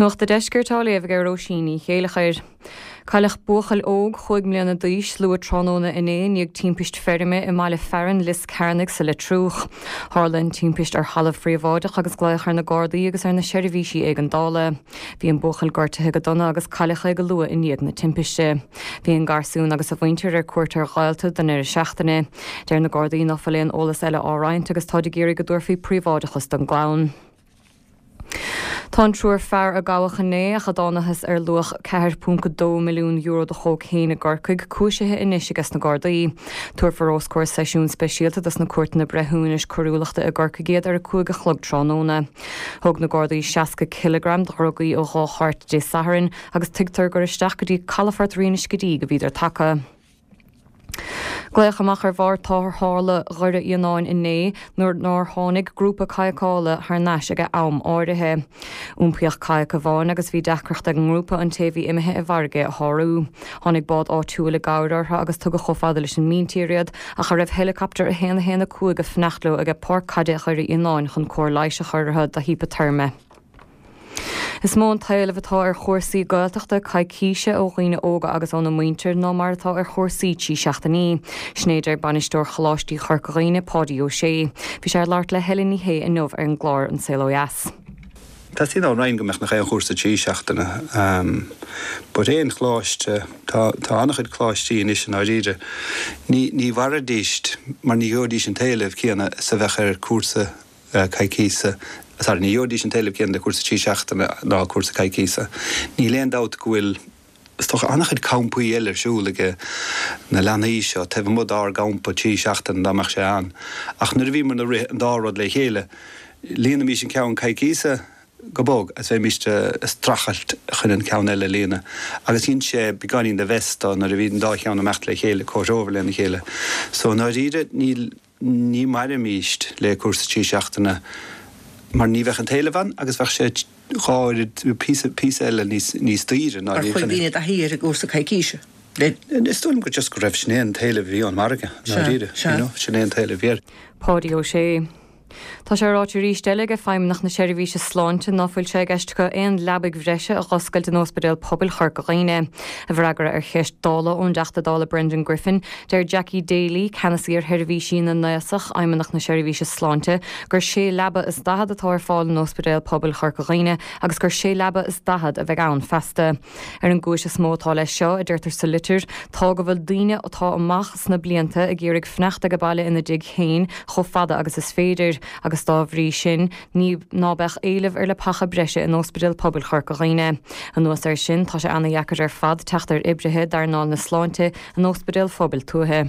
Nuacht a' Deiscirt á léamh ag Róisín Ní Chéileachair. Cailleadh buachaill óg chúig mbliana d'aois luath tráthnóna inné i ndiaidh timpist feirme i mbaile fearainn Lios Cearnaigh sa Leitriúch. Tharla an timpist ar thalamh phríobháideach agus glaodh ar na Gardaí agus ar na seirbhísí éigeandála. Bhí an buachaill gortaithe go dona agus cailleadh é go luath i ndiaidh na timpiste. Bhí an garsún agus a mhuintir ar cuairt ar ghaolta don ndeireadh seachtaine. Deir na Gardaí ná fuil aon eolas eile á roinnt agus táid ag iarraidh go dtabharfaí príobháideachas don gclann. Tá an triúr fear a gabhadh inné ach a dtánathas ar luach €4.2 milliún de chócaon i gCorcaigh cúisithe anois ages na Gardaí. Tabharfar os comhair seisiún speisialta dos na Cúirteanna Breithiúnais Coiriúlachta i gCorcaigh iad ar a 5 a chlog tráthnóna. Thóg na Gardaí 60 cileagram de dhrugaí ó dhá chairt Dé Sathairn agus tuigtear gur isteach go dtí calafort Rí na Scidígh a bhíodar tagtha. Glaodh amach ar bhord tarrthála Dhoire Fhíonáin inné nuair nár tháinig grúpa cadhcála thar n-ais ag am áirithe. Iompaíodh cadhc amháin agus bhí deacracht ag an ngrúpa an té a bhí imithe i bhfarraige a shárú. Tháinig bád áitiúil i gcabhair orthu agus tugadh chomh fada leis an míntír iad ach a raibh heileacaptar 1 1 5 ag fanacht leo aige Páirc Caide Dhoire Fhíonáin chun cóir leighis a chur orthu do hípeateirme. Is mó an t-éileamh atá ar chúrsaí Gaeltachta coicíse ó dhaoine óga agus óna muintir ná mar atá ar chúrsaí 3 seachtainí. Sin é a deir Bainisteoir Choláistí Chorca Dhuibhne, Páidí Ó Sé. Bhí sé ag labhairt le Helen Ní Shé inniu ar an gclár An Saol Ó Dheas. Teastaíonn ón Roinn go mbeadh nach aon chúrsa 3 seachtaine but aon choláiste, tá tá an-chuid coláistí anois i ndáiríre, ní ní mhairfidíst mar ní gheobhaidís an t-éileamh céanna is a bheadh ar cúrsa coicíse, sorry, ní gheobhaidís an t-éileamh céanna le cúrsa 3 seachtaine ná cúrsa coicíse. Níl aon dabht go bhfuil, is dócha, an-chuid campaí eile ar siúl ag na leanaí seo taobh amuigh dár gcampa 3 seachtaine dá mbeadh sé ann. Ach nuair a bhíomar ag rith an dá rud le chéile, líonaimis an ceann coicíse go bog agus bheimís ag streachailt chun an ceann eile a líonadh. Agus dhein sé beagáinín de mess dó nuair a bhí an dá cheann ag imeacht le chéile, comhthreomhar lena chéile. So i ndáiríre níl. Ní mhairfimíst le cúrsa 3 seachtaine mar ní bheadh an t-éileamh ann agus bheadh sé dhá oiread, píosa, píosa eile níos, níos daoire ná Ar chuir daoine i dtaithí ar an gcúrsa coicíse? Le. Is dóigh liom gur just go raibh, sin é an t-éileamh a bhí ón margadh, i ndáiríre, you know, sin é an t-éileamh a bhí air. Páidí Ó Sé. Tá sé ráite arís eile ag Feidhmeannacht na Seirbhíse Sláinte ná fuil sé i gceist acu aon leabaidh bhreise a dh'oscailt in Óspidéal Pobail Chorca Dhuibhne. I bhfreagra ar cheist Dála ón dTeachta Dála Brendan Griffin, deir Jackie Daly, Ceannasaí ar Sheirbhísí na nAosach, Fheidhmeannacht na Seirbhíse Sláinte, gur sé leaba is 40 atá ar fáil in Óspidéal Pobail Chorca Dhuibhne agus gur sé leaba is 40 a bheidh ann feasta. Ar an gcúis is mó atá leis seo, a deirtear sa litir, tá go bhfuil daoine atá amach sna blianta ag iarraidh fanacht age baile ina dtigh féin chomh fada agus is féidir agus dá bhrí sin ní ná beadh éileamh ar leapacha breise in Óspidéal Pobail Chorca Dhuibhne. Anuas air sin, tá sé ana-dheacair ar fad teacht ar oibrithe d'earnáil na sláinte in óspidéil phobail tuaithe.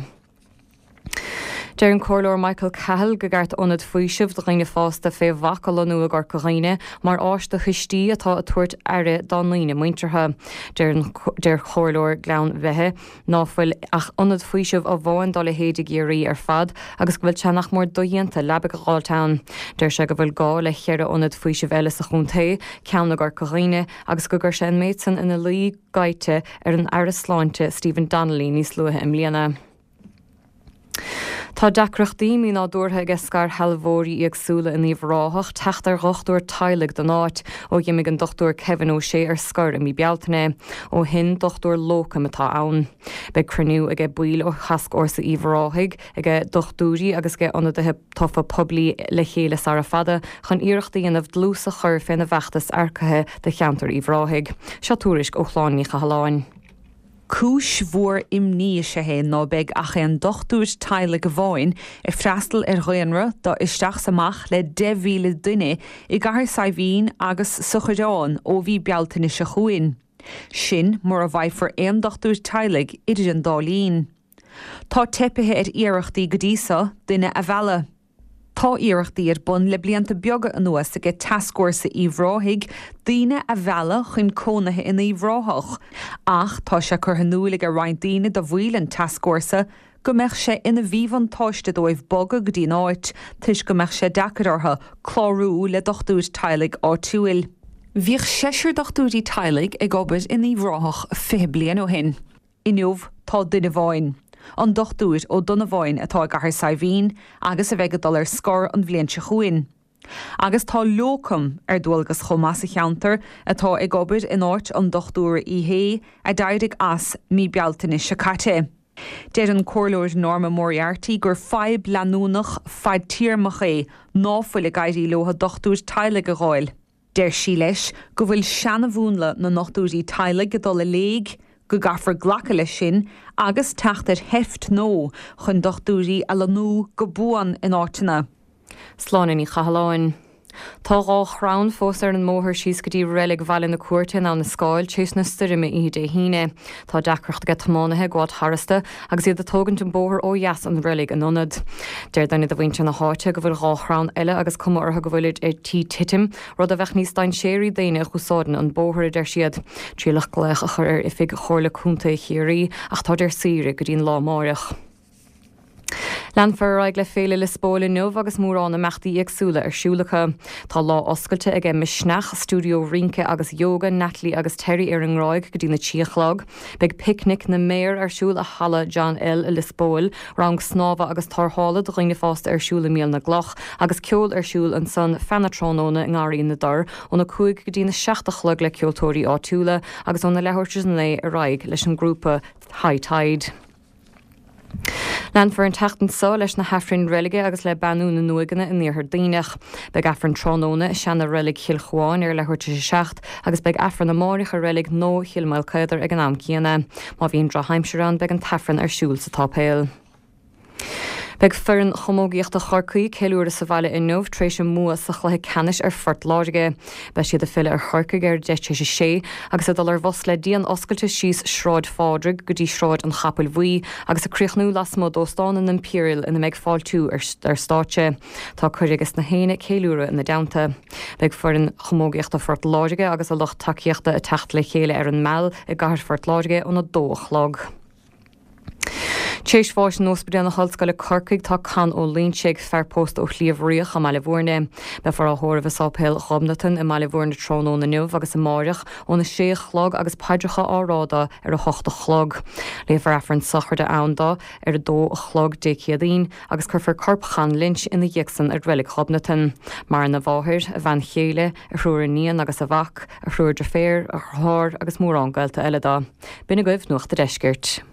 Deir an Comhairleoir Michael Cahill go gceart ionad faoisimh do dhaoine fásta fé bhac a lonnú i gCorca Dhuibhne mar áis do thuistí atá ag tabhairt aire dá ndaoine muinteartha. Deir an Comhairleoir Gleann Bheithe ná fuil ach ionad faoisimh amháin dá leithéid i gCiarraí ar fad agus go bhfuil sé nach mór dodhéanta leabaidh a dh'fháilt ann. Deir sé go bhfuil gá le cheithre ionad faoisimh eile sa chontae, ceann i gCorca Dhuibhne agus go gcuir sé an méid san ina luí gaibhte ar an Aire Sláinte Stephen Donnelly níos luaithe i mbliana. Tá deacrachtaí mínádúrtha aige scairshealbhóirí éagsúla in Uíbh Ráthach teacht ar dhochtúir teaghlaigh don áit ó dh'imigh an Dr Kevin O'Shea ar scor i mí Bealtaine. Ó shin, dochtúir lócaim atá ann. Beidh cruinniú aige baill ó Thascfhórsa Uíbh Ráthaigh, aige dochtúirí agus aige ionadaithe tofa poiblí le chéile sara fada chun iarracht a dhéanamh dlús a chur féna bhfeachtas earcaithe do cheantar Uíbh Ráthaigh. Seo tuairisc ó Shláine Ní Chathalláin. Cúis mhór imní is ea é ná beidh ach aon dochtúir teaghlaigh amháin ag freastal ar dhaonra de isteach 's amach le 10,000 duine i gCathair Saidhbhín agus sa Choireán ó mhí Bealtaine seo chugainn. Sin mura bhfaighfear aon dochtúir teaghlaigh idir an dá linn. Tá teipithe ar iarrachtaí go dtí so duine a mhealladh. Tá iarrachtaí ar bun le blianta beaga anuas aige Tascfhórsa Uíbh Ráthaigh daoine a mhealladh chun cónaithe in Uíbh Ráthach ach tá sé curtha in iúil aige roinnt daoine de bhaill an Tascfhórsa go mbeadh sé ina mhíbhuntáiste dóibh bogadh go dtí an áit toisc go mbeadh sé deacair orthu clárú le dochtúir teaghlaigh áitiúil. Bhíodh seisear dochtúirí teaghlaigh ag obair in Uíbh Ráthach 20 bliain ó shin. Inniu tá duine amháin, an Dochtúir Ó Donnabháin atá i gCathair Saidhbhín agus a bheidh ag dul ar scor an bhliain seo chugainn. Agus tá lócam ar dualgas chomh maith sa cheantar atá ag obair in áit an Dochtúra Uí Shé a d'éirigh as mí Bealtaine seo caite. Deir an Comhairleoir Norma Moriarty gur fadhb leanúnach fadtéarmach é ná fuil ag éirí leo dochtúir teaghlaigh a dh'fháil. Deir sí leis go bhfuil seanamhúnla na ndochtúirí teaghlaigh ag dul i léig, go gcaithfear glacadh leis sin agus teacht ar sheift nua chun dochtúirí a lonnú go buan in áiteanna. Sláine Ní Chathalláin. Tá 2 chrann fós ar an mbóthar síos go dtí reilig Bhaile na Cúirte in Abha na Scáil tar éis na stoirme oíche Dé hAoine. Tá deacracht aige tiománaithe ag gabháilt tharasta agus iad ag tógaint an bóthar ó dheas an reilig in ionad. Deir duine de mhuintir na háite go bhfuil 2 chrann eile agus cuma orthu go bhfuilid ar tí titim, rud a bheadh níos dainséaraí d'éinne a dh'úsáideann an bóthar, a deir siad. Triaileadh glaoch a chur ar oifig Chomhairle Contae Chiarraí ach táid ar saoire go dtí'n lá amáireach. Leanfar ar aghaidh le Féile Liospóil inniu agus mórán imeachtaí éagsúla ar siúl acu. Tá lá oscailte ag Misneach, stiúideo rince agus yoga Natalie agus Terry ar an nGráig go dtína trí a chlog. Beidh Picnic na mBéar ar siúl i Halla John L i Lios Póil, rang snámha agus tarrthála do dhaoine fásta ar siúl i Míol na gCloch agus ceol ar siúl ansan feadh na tráthnóna i nGarraí na dTor óna 5 go dtína 7 a chlog le ceoltóirí áitiúla agus óna leathuair tar éis a 9 ar aghaidh leis an ngrúpa High Tide. Leanfar an tseachtain seo leis na hAifrinn Reilige agus le beannú na n-uaigheanna in Iarthar Duibhneach. Beidh Aifreann tráthnóna i seana-reilig Chill Chuáin ar leathuair tar éis a 7 agus beidh Aifreann amáireach i reilig nua Chill Maoilchaodair ag an am céanna. Má bhíonn drochaimsir ann beidh an tAifreann ar siúl sa tsáipéal. Beidh foireann chamógaíochta Chorcaí ag ceiliúradh sa bhaile inniu tar éis a mbua sa chluiche ceannais ar Phort Láirge. Beidh siad ag filleadh ar Chorcaigh ar 10 tar éis a sé agus ag dul ar bhus le díon oscailte síos Sráid Phádraig go dtí Sráid an Chapaill Bhuí agus ag críochnú lasmuigh d'Óstán an Imperial ina mbeidh fáiltiú ar stáitse. Tá cuireadh ages na héinne ceiliúradh ina dteannta. Beidh foireann chamógaíochta Phort Láirge agus a lucht tacaíochta ag teacht le chéile ar an Meal i gcathair Phort Láirge óna 2 a chlog. Tréis bháis in Ospidéal na hOllscoile Corcaigh tá Con Ó Loinsigh, fear pósta ó Shliabh Riach i mBaile Bhúirne. Beifear á thórramh i Sáipéal Ghobnatan i mBaile Bhúirne tráthnóna inniu agus amáireach óna sé a chlog agus paidreacha á rá dó ar a hocht a chlog. Léifear Aifreann sochraide ann dó ar a dó a chlog Dé Céadaoin agus cuirfear corp Chon Lynch ina dhiaidh san i Reilig Ghobnatan. Maireann a mháthair, a bhean chéile, a thriúr iníon agus a mhac, a thriúr deirféar, a dheartháir agus mórán gaolta eile dó. B'in agaibh Nuacht a' Deiscirt.